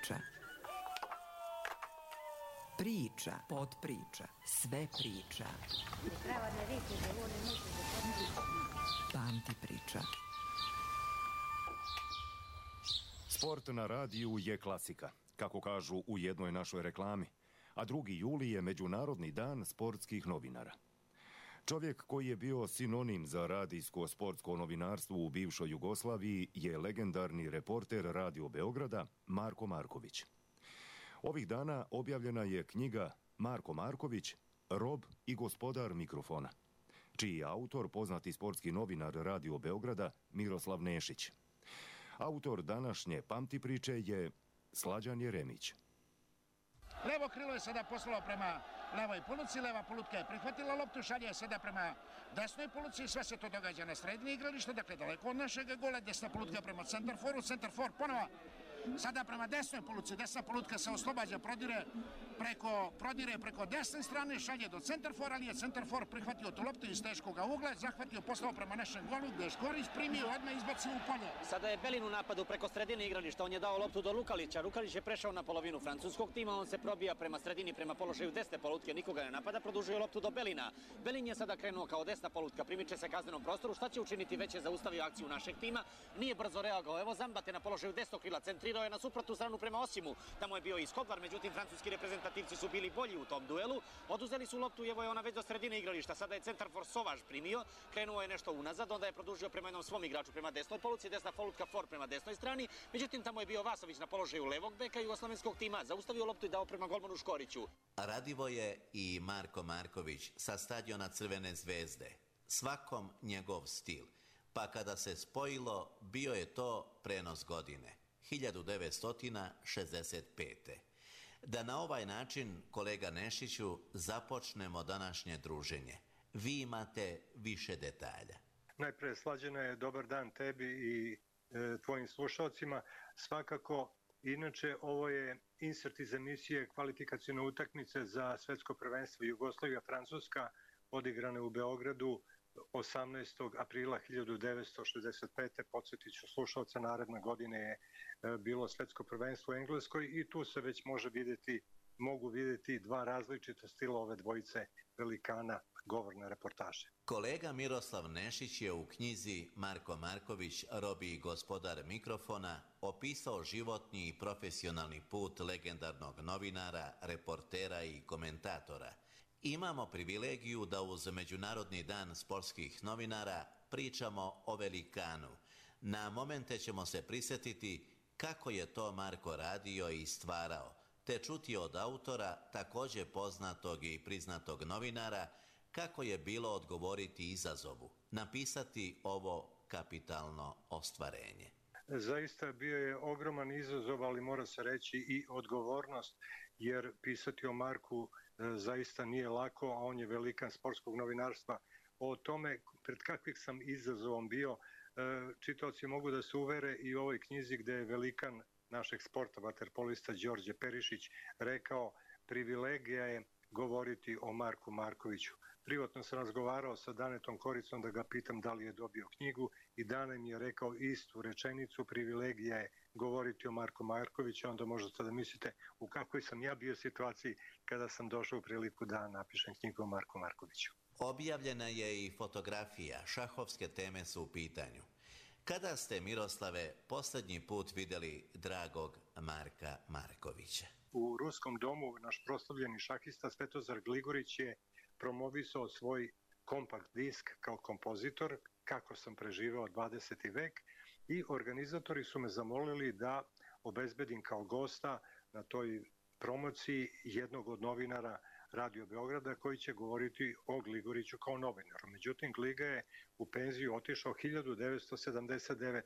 priče. Priča, podpriča, sve priča. Pamti priča. Sport na radiju je klasika, kako kažu u jednoj našoj reklami, a 2. juli je Međunarodni dan sportskih novinara. Čovjek koji je bio sinonim za radijsko-sportsko novinarstvo u bivšoj Jugoslaviji je legendarni reporter Radio Beograda Marko Marković. Ovih dana objavljena je knjiga Marko Marković, rob i gospodar mikrofona, čiji je autor poznati sportski novinar Radio Beograda Miroslav Nešić. Autor današnje Pamti priče je Slađan Jeremić. Levo krilo je sada poslalo prema levoj poluci, leva polutka je prihvatila loptu, šalje je sada prema desnoj poluci, sve se to događa na sredini igrališta, dakle daleko od našeg gola, desna polutka prema centarforu, centarfor ponovo sada prema desnoj poluci, desna polutka se oslobađa, prodire preko desne strane, šalje do centarfora, ali je centarfor prihvatio tu loptu iz teškog ugla, zahvatio, poslao prema našem golu, gde je Škorić primio, odmah izbacio u polje. Sada je Belin u napadu preko sredine igrališta, on je dao loptu do Lukalića, Lukalić je prešao na polovinu francuskog tima, on se probija prema sredini, prema položaju desne polutke, nikoga ne napada, produžuje loptu do Belina. Belin je sada krenuo kao desna polutka, primiče se kaznenom prostoru, šta će učiniti, već je zaustavio akciju našeg tima, nije brzo reagovao, evo Zambate na položaju desnog krila, centrirao je na suprotnu stranu prema Osimu, tamo je bio i Skodvar, međutim francuski reprezentativci su bili bolji u tom duelu, oduzeli su loptu i evo je ona već do sredine igrališta, sada je centarfor Sovaž primio, krenuo je nešto unazad, onda je produžio prema jednom svom igraču prema desnoj poluci, desna polutka For prema desnoj strani, međutim tamo je bio Vasović na položaju levog beka jugoslovenskog tima, zaustavio loptu i dao prema golmanu Škoriću. Radivoje i Marko Marković sa stadiona Crvene zvezde, svakom njegov stil, pa kada se spojilo, bio je to prenos godine, 1965. Da na ovaj način, kolega Nešiću, započnemo današnje druženje. Vi imate više detalja. Najpre, Slađana, je dobar dan tebi i tvojim slušalcima. Svakako, inače, ovo je insert iz emisije kvalifikacijne utakmice za svetsko prvenstvo Jugoslavija-Francuska, odigrane u Beogradu 18. aprila 1965. Podsjetit ću slušalca, naredne godine je bilo svetsko prvenstvo u Engleskoj i tu se već mogu vidjeti dva različita stila ove dvojice velikana govorne reportaže. Kolega Miroslav Nešić je u knjizi Marko Marković, rob i gospodar mikrofona, opisao životni i profesionalni put legendarnog novinara, reportera i komentatora. Imamo privilegiju da uz Međunarodni dan sportskih novinara pričamo o velikanu. Na momente ćemo se prisjetiti kako je to Marko radio i stvarao, te čuti od autora, također poznatog i priznatog novinara, kako je bilo odgovoriti izazovu, napisati ovo kapitalno ostvarenje. Zaista bio je ogroman izazov, ali mora se reći i odgovornost, jer pisati o Marku zaista nije lako, a on je velikan sportskog novinarstva. O tome pred kakvih sam izazovom bio, čitaoci mogu da se uvere i u ovoj knjizi gde je velikan našeg sporta, vaterpolista Đorđe Perišić, rekao: privilegija je govoriti o Marku Markoviću. Privatno sam razgovarao sa Danetom Koricom da ga pitam da li je dobio knjigu i Dane mi je rekao istu rečenicu: privilegija je govoriti o Marku Markoviću. Onda možete da mislite u kakvoj sam ja bio situaciji kada sam došao u priliku da napišem knjigu o Marku Markoviću. Objavljena je i fotografija, šahovske teme su u pitanju. Kada ste, Miroslave, posljednji put vidjeli dragog Marka Markovića? U Ruskom domu naš proslavljeni šahista Svetozar Gligorić je promovisao svoj kompakt disk kao kompozitor, Kako sam preživeo 20. vek, i organizatori su me zamolili da obezbedim kao gosta na toj promociji jednog od novinara Radio Beograda koji će govoriti o Gligoriću kao novinaru. Međutim, Gliga je u penziju otišao 1979.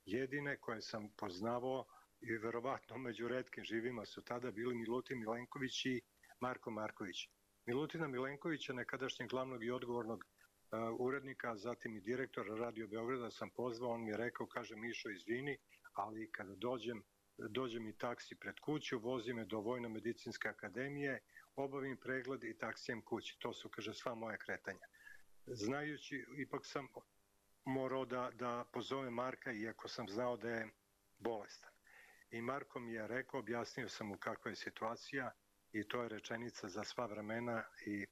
Jedine koje sam poznavao i verovatno među retkim živima su tada bili Milutin Milenković i Marko Marković. Milutina Milenkovića, nekadašnjeg glavnog i odgovornog urednika, zatim i direktora Radio Beograda sam pozvao, on mi je rekao, kaže: Mišo, izvini, ali kada dođe mi taksi pred kuću, vozi me do Vojno-medicinske akademije, obavim pregled i taksijem kući. To su, kaže, sva moja kretanja. Znajući, ipak sam morao da pozovem Marka, iako sam znao da je bolestan. i Marko mi je rekao, objasnio sam mu kakva je situacija i to je rečenica za sva vremena i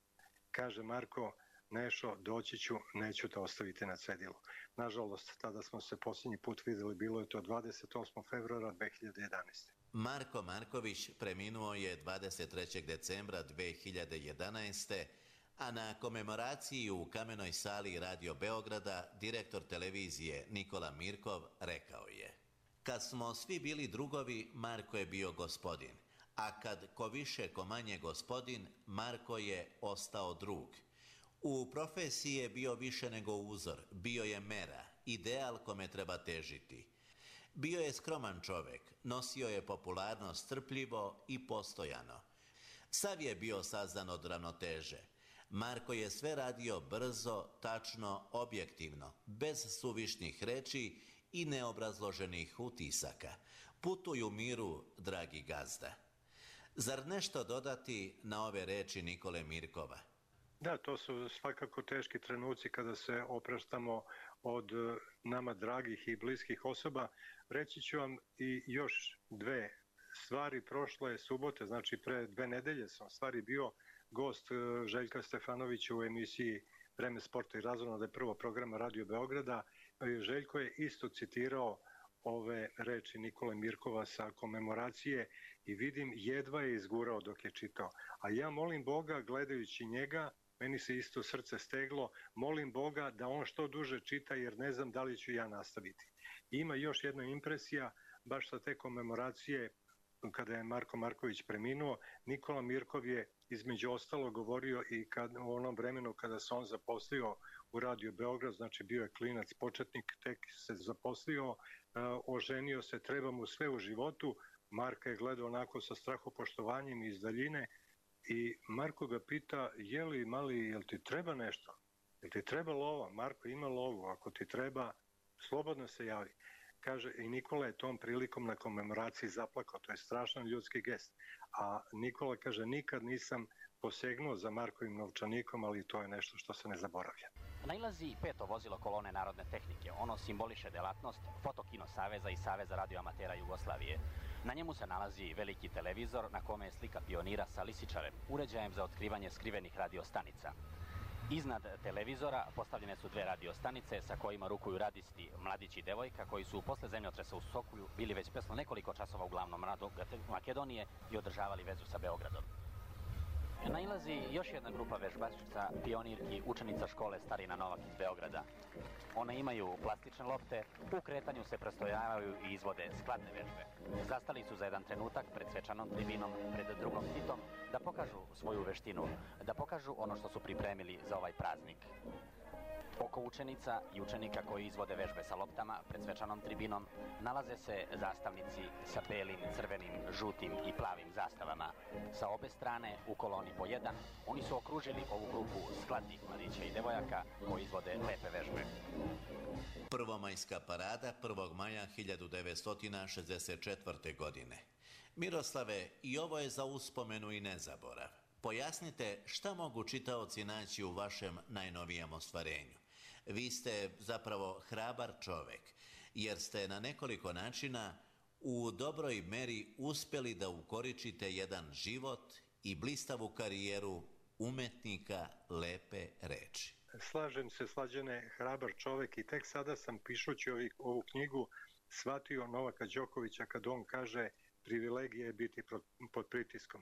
kaže Marko, Nešo, doći ću, neću te ostaviti na cedilu. Nažalost, tada smo se posljednji put videli, bilo je to 28. februara 2011. Marko Marković preminuo je 23. decembra 2011. a na komemoraciji u Kamenoj sali Radio Beograda direktor televizije Nikola Mirkov rekao je: "Kad smo svi bili drugovi, Marko je bio gospodin, a kad ko više ko manje gospodin, Marko je ostao drug. U profesiji je bio više nego uzor, bio je mera, ideal kome treba težiti. Bio je skroman čovek, nosio je popularnost strpljivo i postojano. Sav je bio sazdan od ravnoteže. Marko je sve radio brzo, tačno, objektivno, bez suvišnih reči i neobrazloženih utisaka. Putuj u miru, dragi gazda." Zar nešto dodati na ove reči Nikole Mirkova? Da, to su svakako teški trenuci kada se opraštamo od nama dragih i bliskih osoba. Reći ću vam i još dve stvari. Prošle subote, znači pre 2 nedelje sam stvari bio gost Željka Stefanovića u emisiji Vreme sporta i razonode prvog programa Radio Beograda. Željko je isto citirao ove reči Nikole Mirkova sa komemoracije i vidim jedva je izgurao dok je čitao. A ja molim Boga, gledajući njega, meni se isto srce steglo, molim Boga da on što duže čita jer ne znam da li ću ja nastaviti. Ima još jedna impresija, baš sa te komemoracije, kada je Marko Marković preminuo, Nikola Mirkov je između ostalo govorio i u onom vremenu kada se on zaposlio u Radio Beograd, znači bio je klinac, početnik, tek se zaposlio, oženio se, treba mu sve u životu. Marka je gledao onako sa strahopoštovanjem iz daljine i Marko ga pita, jel ti treba nešto? Jel ti treba lova? Marko, ima lovu, ako ti treba, slobodno se javi. Kaže, i Nikola je tom prilikom na komemoraciji zaplakao, to je strašan ljudski gest. A Nikola kaže, nikad nisam posegnuo za Markovim novčanikom, ali to je nešto što se ne zaboravlja. Nailazi 5. vozilo kolone Narodne tehnike. Ono simboliše delatnost Fotokino saveza i Saveza radioamatera Jugoslavije. Na njemu se nalazi veliki televizor na kome je slika pionira sa lisičarem, uređajem za otkrivanje skrivenih radiostanica. Iznad televizora postavljene su 2 radiostanice sa kojima rukuju radisti mladić i devojka koji su posle zemljotresa u Sokulju bili već presno nekoliko časova u glavnom gradu Makedonije i održavali vezu sa Beogradom. Nailazi još jedna grupa vežbačica, pionirki, učenica škole Starina Novak iz Beograda. One imaju plastične lopte, u kretanju se prestojavaju i izvode skladne vežbe. Zastali su za jedan trenutak pred svečanom tribinom, pred drugom Titom, da pokažu svoju veštinu, da pokažu ono što su pripremili za ovaj praznik. Oko učenica i učenika koji izvode vežbe sa loptama pred svečanom tribinom nalaze se zastavnici sa belim, crvenim, žutim i plavim zastavama. Sa obe strane, u koloni po jedan, oni su okružili ovu grupu skladnih mladića i devojaka koji izvode lepe vežbe. Prvomajska parada 1. maja 1964. godine. Miroslave, i ovo je za uspomenu i nezaborav. Pojasnite šta mogu čitaoci naći u vašem najnovijem ostvarenju. Vi ste zapravo hrabar čovek, jer ste na nekoliko načina u dobroj meri uspeli da ukoričite jedan život i blistavu karijeru umetnika lepe reči. Slažem se, Slađane, hrabar čovek i tek sada sam pišući ovu knjigu shvatio Novaka Đokovića kad on kaže privilegija je biti pod pritiskom.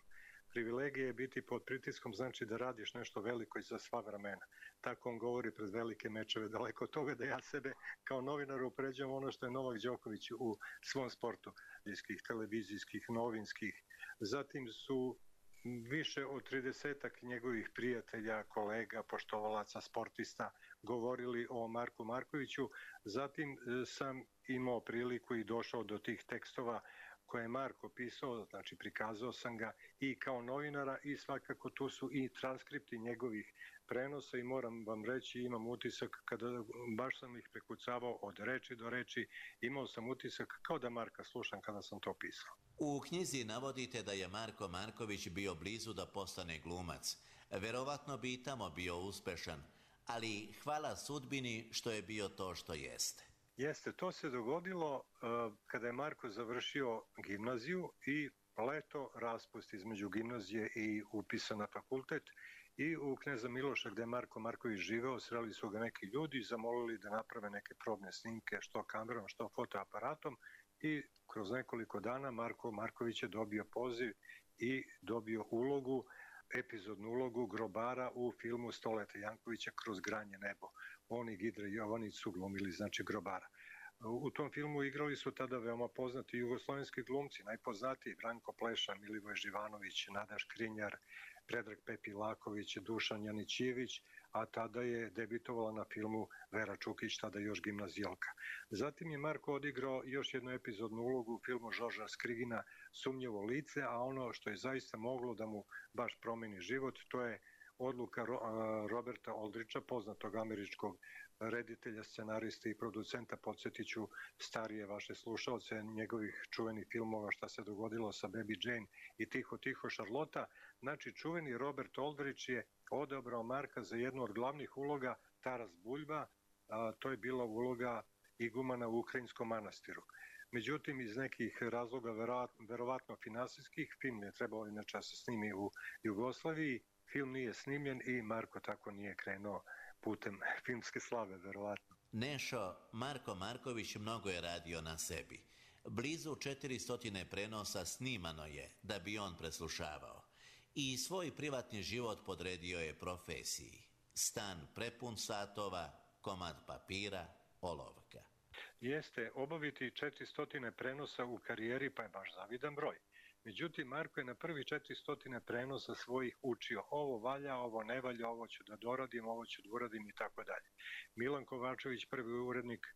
Privilegija je biti pod pritiskom znači da radiš nešto veliko i za sva vremena. Tako on govori pred velike mečeve, daleko od toga da ja sebe kao novinar upređujem ono što je Novak Đoković u svom sportu, televizijskih, novinskih. Zatim su više od 30-ak njegovih prijatelja, kolega, poštovalaca, sportista govorili o Marku Markoviću. Zatim sam imao priliku i došao do tih tekstova koje je Marko pisao, znači prikazao sam ga i kao novinara i svakako tu su i transkripti njegovih prenosa i moram vam reći, imam utisak kada baš sam ih prekucavao od reči do reči, imao sam utisak kao da Marka slušam kada sam to pisao. U knjizi navodite da je Marko Marković bio blizu da postane glumac. Verovatno bi i tamo bio uspešan, ali hvala sudbini što je bio to što jeste. Jeste, to se dogodilo kada je Marko završio gimnaziju i leto raspust između gimnazije i upisa na fakultet i u Kneza Miloša gde je Marko Marković živeo, sreli su ga neki ljudi i zamolili da naprave neke probne snimke što kamerom, što fotoaparatom i kroz nekoliko dana Marko Marković je dobio poziv i dobio ulogu, epizodnu ulogu grobara u filmu Stoleta Jankovića Kroz granje nebo. On i Gidra Jovanić su glumili, znači, grobara. U tom filmu igrali su tada veoma poznati jugoslovenski glumci, najpoznatiji Branko Pleša, Milivoj Živanović, Nada Škrinjar, Predrag Pepilaković, Dušan Janićijević, a tada je debitovala na filmu Vera Čukić, tada još gimnazijalka. Zatim je Marko odigrao još jednu epizodnu ulogu u filmu Žorža Skrigina Sumnjivo lice, a ono što je zaista moglo da mu baš promeni život, to je odluka Roberta Aldricha, poznatog američkog reditelja, scenarista i producenta, podsjetiću starije vaše slušalce, njegovih čuvenih filmova Šta se dogodilo sa Baby Jane i Tiho, tiho Šarlota. Znači, čuveni Robert Aldrich je odabrao Marka za jednu od glavnih uloga Taras Buljba, to je bila uloga igumana u Ukrajinskom manastiru. Međutim, iz nekih razloga, verovatno finansijskih, film je trebalo inače se snimi u Jugoslaviji, film nije snimljen i Marko tako nije krenuo putem filmske slave, verovatno. Nešo, Marko Marković mnogo je radio na sebi. Blizu 400 prenosa snimano je da bi on preslušavao. I svoj privatni život podredio je profesiji. Stan prepun satova, komad papira, olovka. Jeste, obaviti 400 prenosa u karijeri pa je baš zavidan broj. Međutim, Marko je na prvi 400 prenosa svojih učio. Ovo valja, ovo ne valja, ovo ću da doradim, ovo ću da uradim i tako dalje. Milan Kovačević, prvi urednik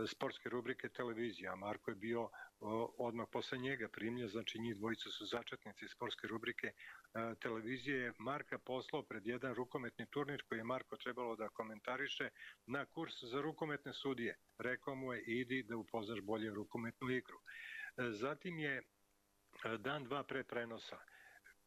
sportske rubrike televizija, a Marko je bio odmah posle njega primljen, znači njih dvojica su začetnici sportske rubrike televizije. Marka poslao pred jedan rukometni turnir koji je Marko trebalo da komentariše na kurs za rukometne sudije. Rekao mu je, idi da upoznaš bolje rukometnu igru. Zatim je dan, dva pre prenosa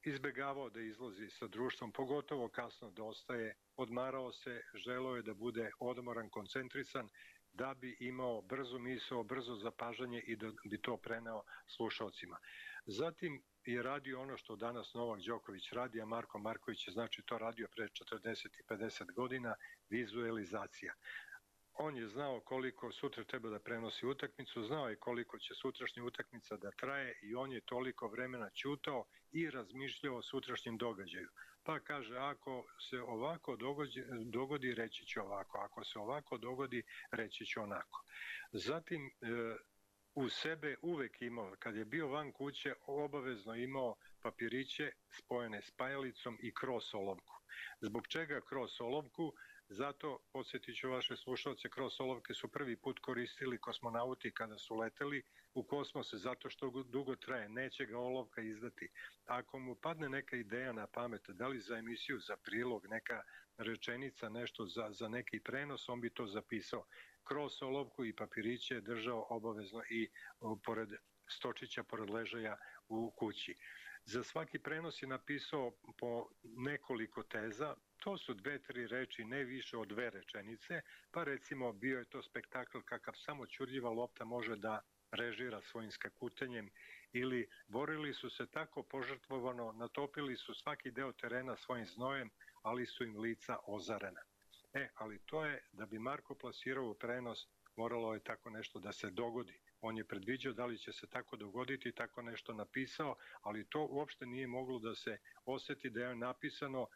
izbegavao da izlazi sa društvom, pogotovo kasno da ostaje, odmarao se, želeo je da bude odmoran, koncentrisan, da bi imao brzu misao, brzo zapažanje i da bi to preneo slušalcima. Zatim je radio ono što danas Novak Đoković radi, a Marko Marković je znači to radio pre 40 i 50 godina, vizualizacija. On je znao koliko sutra treba da prenosi utakmicu, znao je koliko će sutrašnja utakmica da traje i on je toliko vremena ćutao i razmišljao o sutrašnjem događaju. Pa kaže, ako se ovako dogodi, reći će ovako, ako se ovako dogodi, reći će onako. Zatim, u sebe uvek imao, kad je bio van kuće, obavezno imao papiriće spojene spajalicom i kroz olovku. Zbog čega kroz olovku? Zato, podsjetit ću vaše slušalce, kroz olovke su prvi put koristili kosmonauti kada su leteli u kosmose, zato što dugo traje, neće ga olovka izdati. Ako mu padne neka ideja na pamet, da li za emisiju, za prilog, neka rečenica, nešto za neki prenos, on bi to zapisao. Kroz olovku i papiriće je držao obavezno i pored stočića, pored ležaja u kući. Za svaki prenos je napisao po nekoliko teza, to su 2-3 reči, ne više od 2 rečenice, pa recimo bio je to spektakl kakav samo ćurljiva lopta može da režira svojim skakutenjem, ili borili su se tako požrtvovano, natopili su svaki deo terena svojim znojem, ali su im lica ozarena. Ali to je, da bi Marko plasirao u prenos, moralo je tako nešto da se dogodi. On je predviđao da li će se tako dogoditi, tako nešto napisao, ali to uopšte nije moglo da se oseti da je napisano,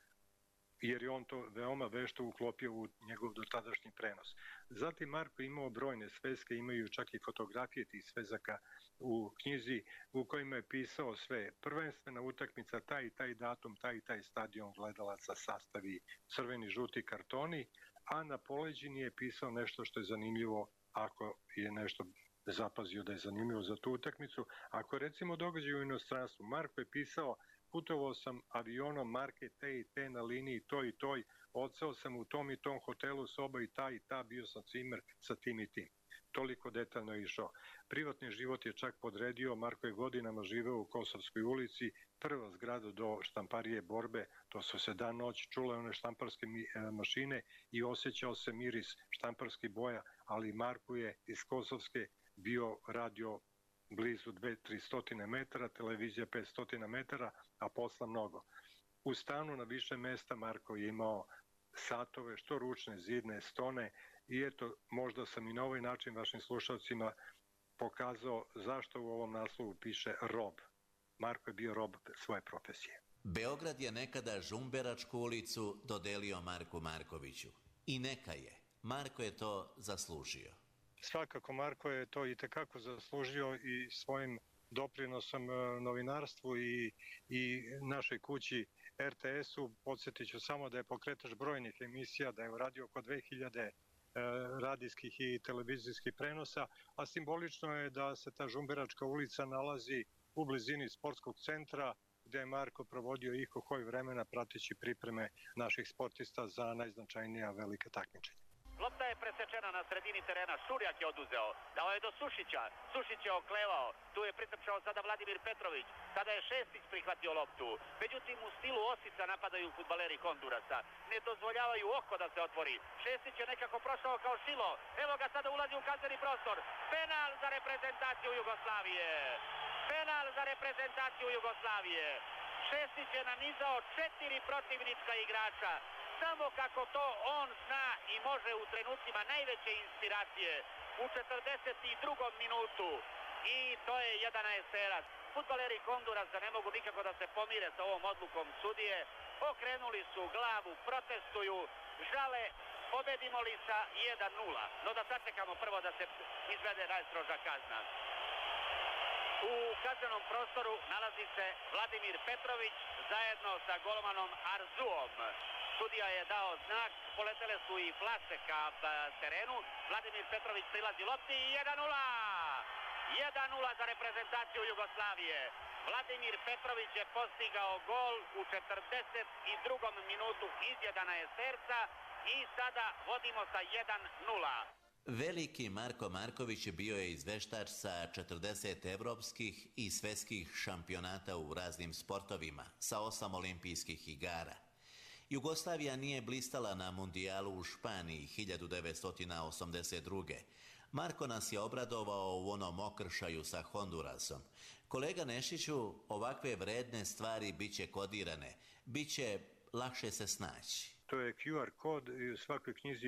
jer je on to veoma vešto uklopio u njegov dotadašnji prenos. Zatim Marko imao brojne sveske, imaju čak i fotografije tih svezaka u knjizi u kojima je pisao sve. Prvenstvena utakmica, taj i taj datum, taj i taj stadion, gledalaca, sastavi, crveni, žuti kartoni, a na poleđini je pisao nešto što je zanimljivo, ako je nešto zapazio da je zanimljivo za tu utakmicu. Ako recimo događaj u inostranstvu, Marko je pisao, putovao sam avionom marke te i te na liniji toj i toj odseo sam u tom i tom hotelu, soba i ta, bio sam cimer sa tim i tim. Toliko detaljno je išao. Privatni život je čak podredio, Marko je godinama živeo u Kosovskoj ulici, prva zgrada do štamparije Borbe, to su se dan noć čule one štamparske mašine i osjećao se miris štamparskih boja, ali Marko je iz Kosovske bio radio blizu 200-300 metara, televizija 500 metara, a posla mnogo. U stanu na više mesta Marko je imao satove, što ručne, zidne, stone, i eto, možda sam i na ovaj način vašim slušalcima pokazao zašto u ovom naslovu piše rob. Marko je bio rob svoje profesije. Beograd je nekada Žumberačku ulicu dodelio Marku Markoviću. I neka je. Marko je to zaslužio. Svakako Marko je to i tekako zaslužio i svojim doprinosom novinarstvu i našoj kući RTS-u. Podsjetit ću samo da je pokretač brojnih emisija, da je uradio oko 2000 radijskih i televizijskih prenosa, a simbolično je da se ta Žumberačka ulica nalazi u blizini sportskog centra, gde je Marko provodio ihoj vremena prateći pripreme naših sportista za najznačajnija velika takmičenja. Lopta je presečena na sredini terena, Šurjak je oduzeo, dao je do Sušića, Sušić je oklevao, tu je pritrčao sada Vladimir Petrović, sada je Šestić prihvatio loptu, međutim u stilu Osica napadaju fudbaleri Hondurasa, ne dozvoljavaju oko da se otvori, Šestić je nekako prošao kao Šilo, evo ga sada ulazi u kazneni prostor, penal za reprezentaciju Jugoslavije, penal za reprezentaciju Jugoslavije, Šestić je nanizao 4 protivnička igrača, samo kako to on zna i može u trenucima najveće inspiracije u 42. minutu i to je jedan eserac. Fudbaleri Hondurasa ne mogu nikako da se pomire sa ovom odlukom sudije, okrenuli su glavu, protestuju, žale, pobedimo li sa 1-0, no da sačekamo prvo da se izvede najstroža kazna. U kaznenom prostoru nalazi se Vladimir Petrović zajedno sa golmanom Arzuom. Sudija je dao znak, poletele su i flaše ka terenu, Vladimir Petrović prilazi lopti i 1-0! 1-0 za reprezentaciju Jugoslavije. Vladimir Petrović je postigao gol u 42. minutu izjedana je Serca i sada vodimo sa 1-0. Veliki Marko Marković bio je izveštač sa 40 evropskih i svetskih šampionata u raznim sportovima, sa 8 olimpijskih igara. Jugoslavija nije blistala na mundijalu u Španiji 1982. Marko nas je obradovao u onom okršaju sa Hondurasom. Kolega Nešiću, ovakve vredne stvari biće kodirane, biće lakše se snaći. To je QR kod i u svakoj knjizi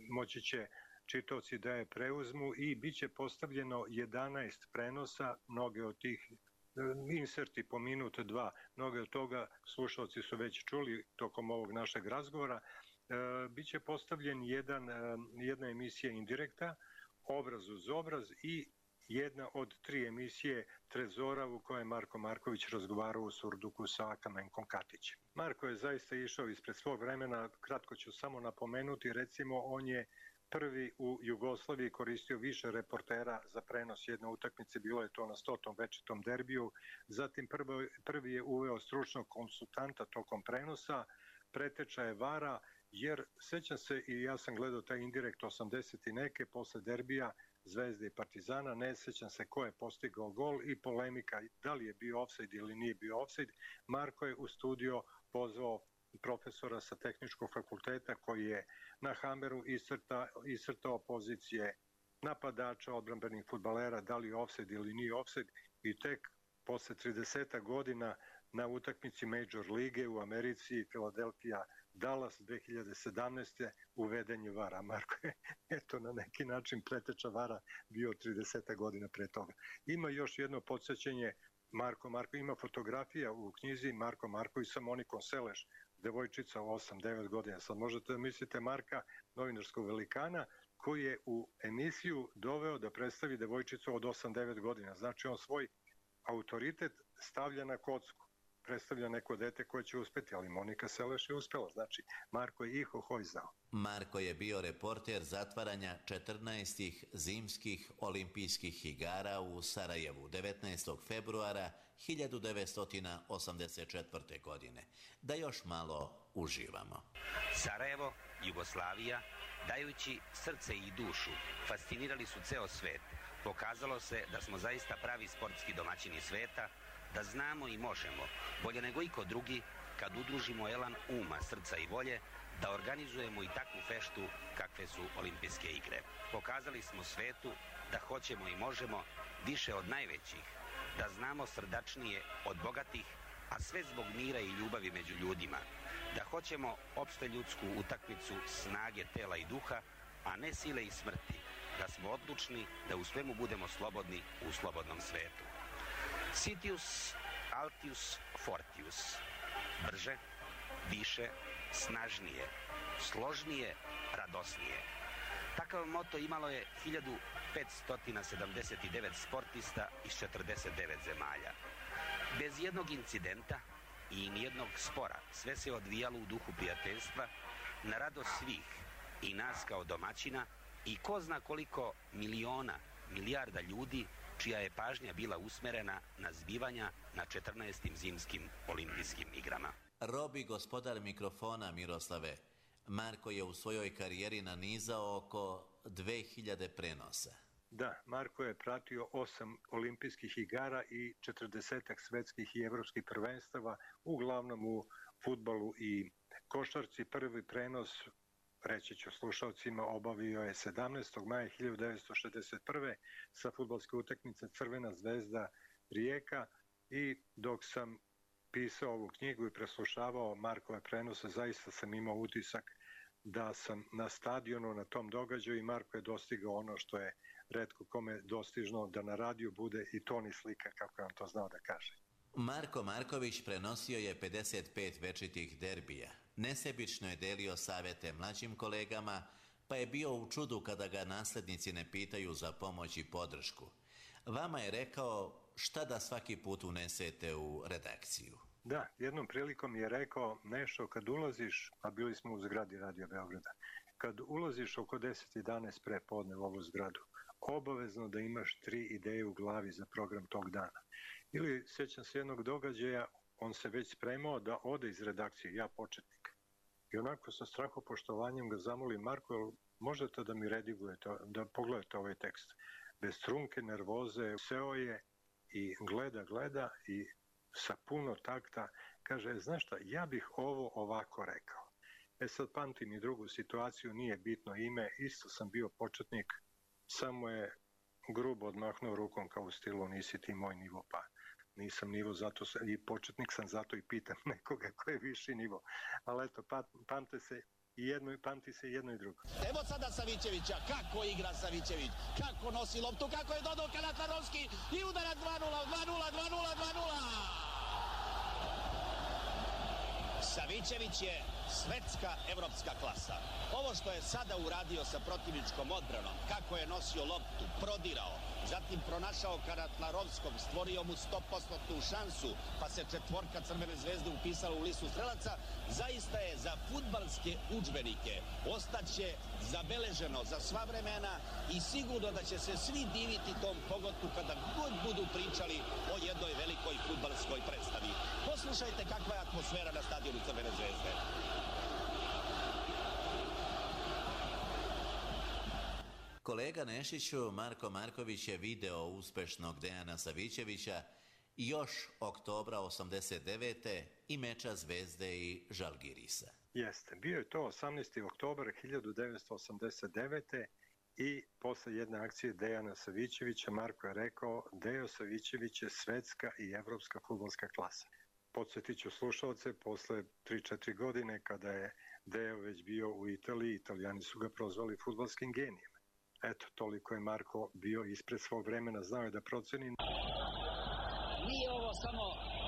moći će čitaoci da je preuzmu i bit će postavljeno 11 prenosa, mnoge od tih inserti po minutu, 2, mnoge od toga slušalci su već čuli tokom ovog našeg razgovora. Biće postavljen jedna emisija indirekta, obraz uz obraz i jedna od 3 emisije Trezora u kojoj je Marko Marković razgovarao u surduku sa Kamenkom Katićem. Marko je zaista išao ispred svog vremena, kratko ću samo napomenuti, recimo on je prvi u Jugoslaviji koristio više reportera za prenos jedne utakmice, bilo je to na 100. večitom derbiju. Zatim prvi je uveo stručnog konsultanta tokom prenosa, preteča je vara, jer sećam se i ja sam gledao taj indirekt 80 i neke posle derbija Zvezde i Partizana, ne sećam se ko je postigao gol i polemika da li je bio ofsajd ili nije bio ofsajd. Marko je u studio pozvao profesora sa tehničkog fakulteta koji je na hameru iscrtao pozicije napadača, odbrambenih fudbalera, da li je ofsajd ili nije ofsajd, i tek posle 30 godina na utakmici Major lige u Americi, Philadelphia Dallas 2017. uveden je vara. Marko je eto na neki način preteča vara bio 30 godina pre toga. Ima još jedno podsjećanje, Marko ima fotografija u knjizi Marko Marković sa Monikom Seleš, devojčica u 8-9 godina. Sad možete da mislite Marka, novinarskog velikana, koji je u emisiju doveo da predstavi devojčicu od 8-9 godina. Znači on svoj autoritet stavlja na kocku. Predstavlja neko dete koje će uspeti, ali Monika Seleš je uspela. Znači, Marko je ihohoj znao. Marko je bio reporter zatvaranja 14. zimskih olimpijskih igara u Sarajevu 19. februara 1984. godine. Da još malo uživamo. Sarajevo, Jugoslavija, dajući srce i dušu, fascinirali su ceo svet. Pokazalo se da smo zaista pravi sportski domaćini sveta, da znamo i možemo, bolje nego iko drugi, kad udružimo elan uma, srca i volje, da organizujemo i takvu feštu kakve su olimpijske igre. Pokazali smo svetu da hoćemo i možemo više od najvećih, da znamo srdačnije od bogatih, a sve zbog mira i ljubavi među ljudima, da hoćemo opšteljudsku utakmicu snage tela i duha, a ne sile i smrti, da smo odlučni da u svemu budemo slobodni u slobodnom svetu. Citius, Altius, Fortius. Brže, više, snažnije, složnije, radosnije. Takav moto imalo je 1579 sportista iz 49 zemalja. Bez jednog incidenta i nijednog spora sve se odvijalo u duhu prijateljstva, na radost svih, i nas kao domaćina, i ko zna koliko milijarda ljudi čija je pažnja bila usmerena na zbivanja na 14. zimskim olimpijskim igrama. Robi gospodar mikrofona, Miroslave. Marko je u svojoj karijeri nanizao oko 2000 prenosa. Da, Marko je pratio 8 olimpijskih igara i 40 svetskih i evropskih prvenstava, uglavnom u fudbalu i košarci. Prvi prenos, reći ću slušalcima, obavio je 17. maja 1961. sa fudbalske utakmice Crvena zvezda Rijeka, i dok sam pisao ovu knjigu i preslušavao Markove prenose, zaista sam imao utisak da sam na stadionu na tom događaju i Marko je dostigao ono što je retko kome dostižno, da na radiju bude i ton i slika, kako je on to znao da kaže. Marko Marković prenosio je 55 večitih derbija. Nesebično je delio savete mlađim kolegama, pa je bio u čudu kada ga naslednici ne pitaju za pomoć i podršku. Vama je rekao šta da svaki put unesete u redakciju. Da, jednom prilikom je rekao nešto, kad ulaziš, a bili smo u zgradi Radio Beograda, kad ulaziš oko 10-11 pre podne u ovu zgradu, obavezno da imaš 3 ideje u glavi za program tog dana. Ili, sjećam se jednog događaja, on se već spremao da ode iz redakcije, ja početnik. I onako sa strahopoštovanjem ga zamolim, Marko, možete da mi redigujete, da pogledate ovaj tekst. Bez trunke, nervoze, seo je i gleda i sa puno takta kaže, znaš šta, ja bih ovo ovako rekao. Sad pamtim i drugu situaciju, nije bitno ime, isto sam bio početnik, samo je grubo odmahnuo rukom kao u stilu, nisi ti moj nivo, pa nisam nivo, zato i početnik sam, zato i pitam nekoga ko je viši nivo. Ali eto, pamti se i jedno i drugo. Evo sada Savićevića, kako igra Savićević, kako nosi loptu, kako je dodao Kalatarovski i udara 2-0, 2-0. Savićević je svetska evropska klasa. Ovo što je sada uradio sa protivničkom odbranom, kako je nosio loptu, prodirao, zatim pronašao Karatlarovskog, stvorio mu 100% šansu, pa se četvorka Crvene zvezde upisala u listu strelaca, zaista je za fudbalske udžbenike ostaće zabeleženo za sva vremena i sigurno da će se svi diviti tom pogotu kada god budu pričali o jednoj velikoj fudbalskoj predstavi. Poslušajte kakva je atmosfera na stadionu Crvene zvezde. Kolega Nešiću, Marko Marković je video uspešnog Dejana Savićevića još oktobra 89. i meča Zvezde i Žalgirisa. Jeste, bio je to 18. oktobar 1989. i posle jedne akcije Dejana Savićevića Marko je rekao, Dejo Savićević je svetska i evropska fudbalska klasa. Podsjetit ću slušalce, posle 3-4 godine kada je Dejo već bio u Italiji, Italijani su ga prozvali fudbalskim genijem. Eto, toliko je Marko bio ispred svog vremena, znao je da proceni. Nije ovo samo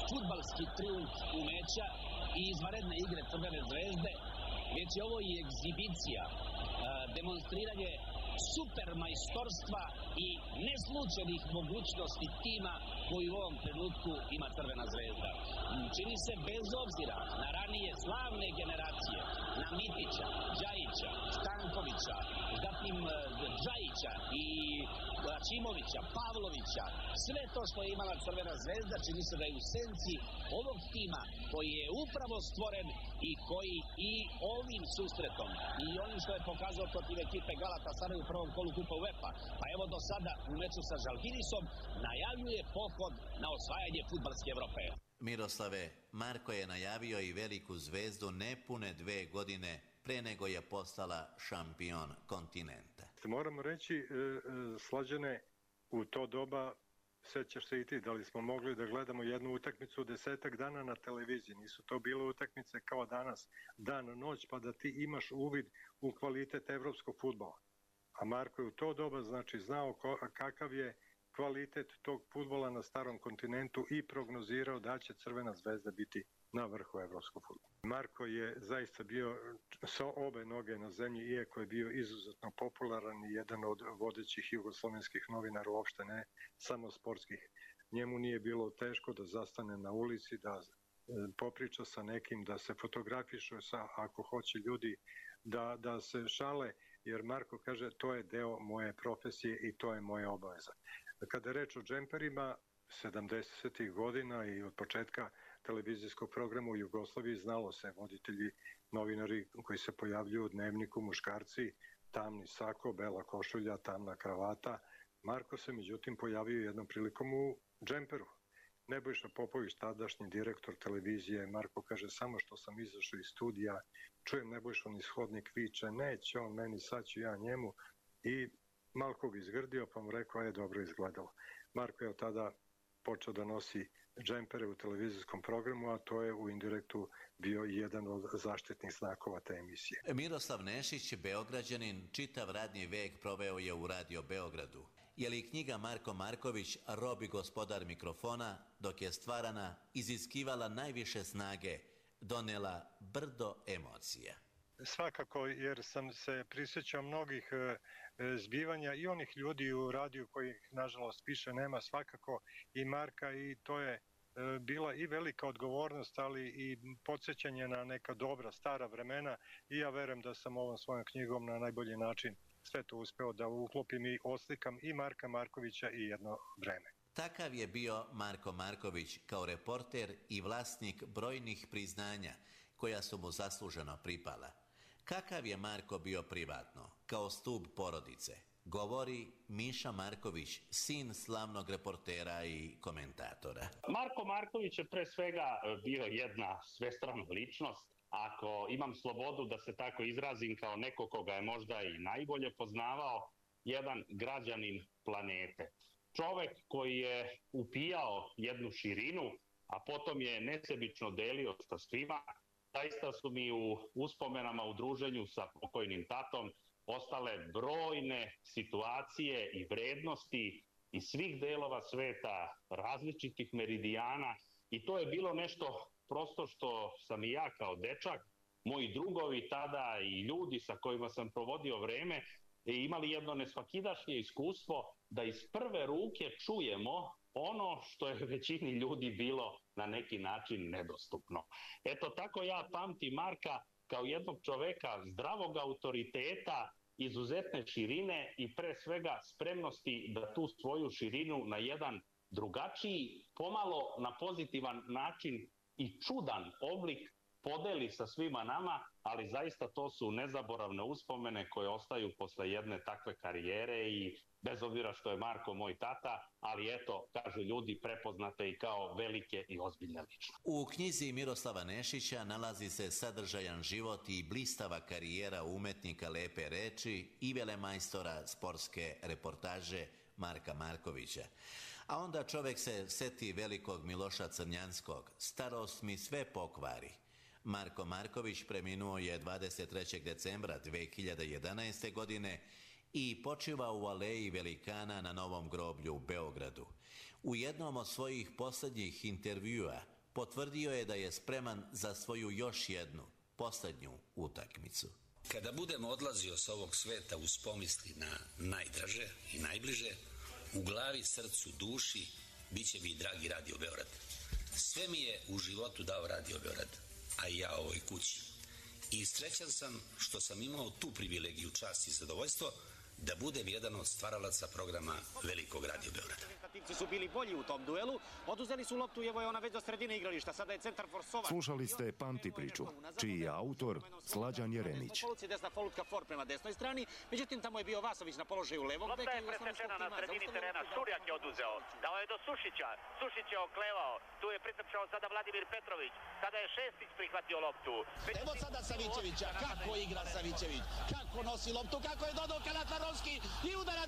fudbalski triumf umeća i izvanredne igre Crvene zvezde, već je ovo i egzibicija, demonstriranje supermajstorstva i neslučajnih mogućnosti tima koji u ovom trenutku ima Crvena zvezda. Čini se bez obzira na ranije slavne generacije, na Mitića, Đajića, Stankovića, zatim Džajića i Aćimovića, Pavlovića, sve to što je imala Crvena zvezda čini se da je u senci ovog tima koji je upravo stvoren i koji i ovim susretom i onim što je pokazao protiv ekipe Galatasaray u prvom kolu Kupa UEFA, pa evo do sada u meču sa Žalgirisom najavljuje pohod na osvajanje fudbalske Evrope. Miroslave, Marko je najavio i veliku zvezdu nepune 2 godine pre nego je postala šampion kontinenta. Moramo reći, Slađane, u to doba, sećaš se i ti, da li smo mogli da gledamo jednu utakmicu 10 dana na televiziji. Nisu to bile utakmice kao danas, dan, noć, pa da ti imaš uvid u kvalitet evropskog fudbala. A Marko je u to doba znači znao kakav je kvalitet tog fudbala na starom kontinentu i prognozirao da će Crvena zvezda biti na vrhu evropskog fudbala. Marko je zaista bio sa obe noge na zemlji, iako je bio izuzetno popularan i jedan od vodećih jugoslovenskih novinara, uopšte ne samo sportskih. Njemu nije bilo teško da zastane na ulici, da popriča sa nekim, da se fotografiše sa, ako hoće ljudi, da se šale, jer Marko kaže to je deo moje profesije i to je moja obaveza. Kada je reč o džemperima, 70. godina i od početka televizijskog programa u Jugoslaviji znalo se, voditelji, novinari koji se pojavljuju u Dnevniku, muškarci, tamni sako, bela košulja, tamna kravata. Marko se međutim pojavio jednom prilikom u džemperu. Nebojša Popović, tadašnji direktor televizije, Marko kaže, samo što sam izašao iz studija, čujem Nebojšu niz hodnik viče, neće on meni, sad ću ja njemu, i malko ga izgrdio, pa mu rekao, je dobro izgledalo. Marko je od tada počeo da nosi džempere u televizijskom programu, a to je u indirektu bio jedan od zaštitnih znakova te emisije. Miroslav Nešić, Beograđanin, čitav radni vek proveo je u Radio Beogradu. Je li knjiga Marko Marković, Rob i gospodar mikrofona, dok je stvarana, iziskivala najviše snage, donela brdo emocija? Svakako, jer sam se prisjećao mnogih zbivanja i onih ljudi u radiju kojih, nažalost, više nema, svakako i Marka, i to je bila i velika odgovornost, ali i podsjećanje na neka dobra, stara vremena, i ja verujem da sam ovom svojom knjigom na najbolji način sve to uspeo da uklopim i oslikam i Marka Markovića i jedno vreme. Takav je bio Marko Marković kao reporter i vlasnik brojnih priznanja koja su mu zasluženo pripala. Kakav je Marko bio privatno, kao stub porodice? Govori Miša Marković, sin slavnog reportera i komentatora. Marko Marković je pre svega bio jedna svestrana ličnost. Ako imam slobodu da se tako izrazim kao neko koga je možda i najbolje poznavao, jedan građanin planete. Čovek koji je upijao jednu širinu, a potom je nesebično delio sa svima. Zaista su mi u uspomenama u druženju sa pokojnim tatom ostale brojne situacije i vrednosti iz svih delova sveta, različitih meridijana, i to je bilo nešto prosto što sam i ja kao dečak, moji drugovi tada i ljudi sa kojima sam provodio vreme, imali jedno nesvakidašnje iskustvo da iz prve ruke čujemo ono što je većini ljudi bilo na neki način nedostupno. Eto, tako ja pamtim Marka kao jednog čoveka zdravog autoriteta, izuzetne širine i pre svega spremnosti da tu svoju širinu na jedan drugačiji, pomalo na pozitivan način i čudan oblik podeli sa svima nama, ali zaista to su nezaboravne uspomene koje ostaju posle jedne takve karijere, i bez obzira što je Marko moj tata, ali eto, kažu ljudi, prepoznate i kao velike i ozbiljne ličnosti. U knjizi Miroslava Nešića nalazi se sadržajan život i blistava karijera umetnika lepe reči i velemajstora sportske reportaže Marka Markovića. A onda čovek se seti velikog Miloša Crnjanskog, starost mi sve pokvari. Marko Marković preminuo je 23. decembra 2011. godine i počiva u aleji velikana na Novom groblju u Beogradu. U jednom od svojih poslednjih intervjua potvrdio je da je spreman za svoju još jednu, poslednju utakmicu. Kada budem odlazio s ovog sveta uz pomisli na najdraže i najbliže, u glavi, srcu, duši, bit će mi dragi Radio Beograd. Sve mi je u životu dao Radio Beograd, a i ja ovoj kući. I srećan sam što sam imao tu privilegiju, čast i zadovoljstvo da budem jedan od stvaralaca programa Velikog Radio Beograda. Timci su bili bolji u tom duelu, oduzeli su loptu i evo je ona već do sredine igrališta, sada je centar forsovan. Slušali ste Pamti priču, čiji je autor Slađan Jeremić. Desna polutka for prema desnoj strani, međutim tamo je bio Vasović na položaju levog beka. Lopta je presečena na sredini terena, Šurjak je oduzeo, dao je do Sušića, Sušić je oklevao, tu je pritrčao sada Vladimir Petrović, sada je Šestić prihvatio loptu. Evo sada Savićevića, kako igra Savićević, kako nosi loptu, kako je dodao Kalatarovski i udara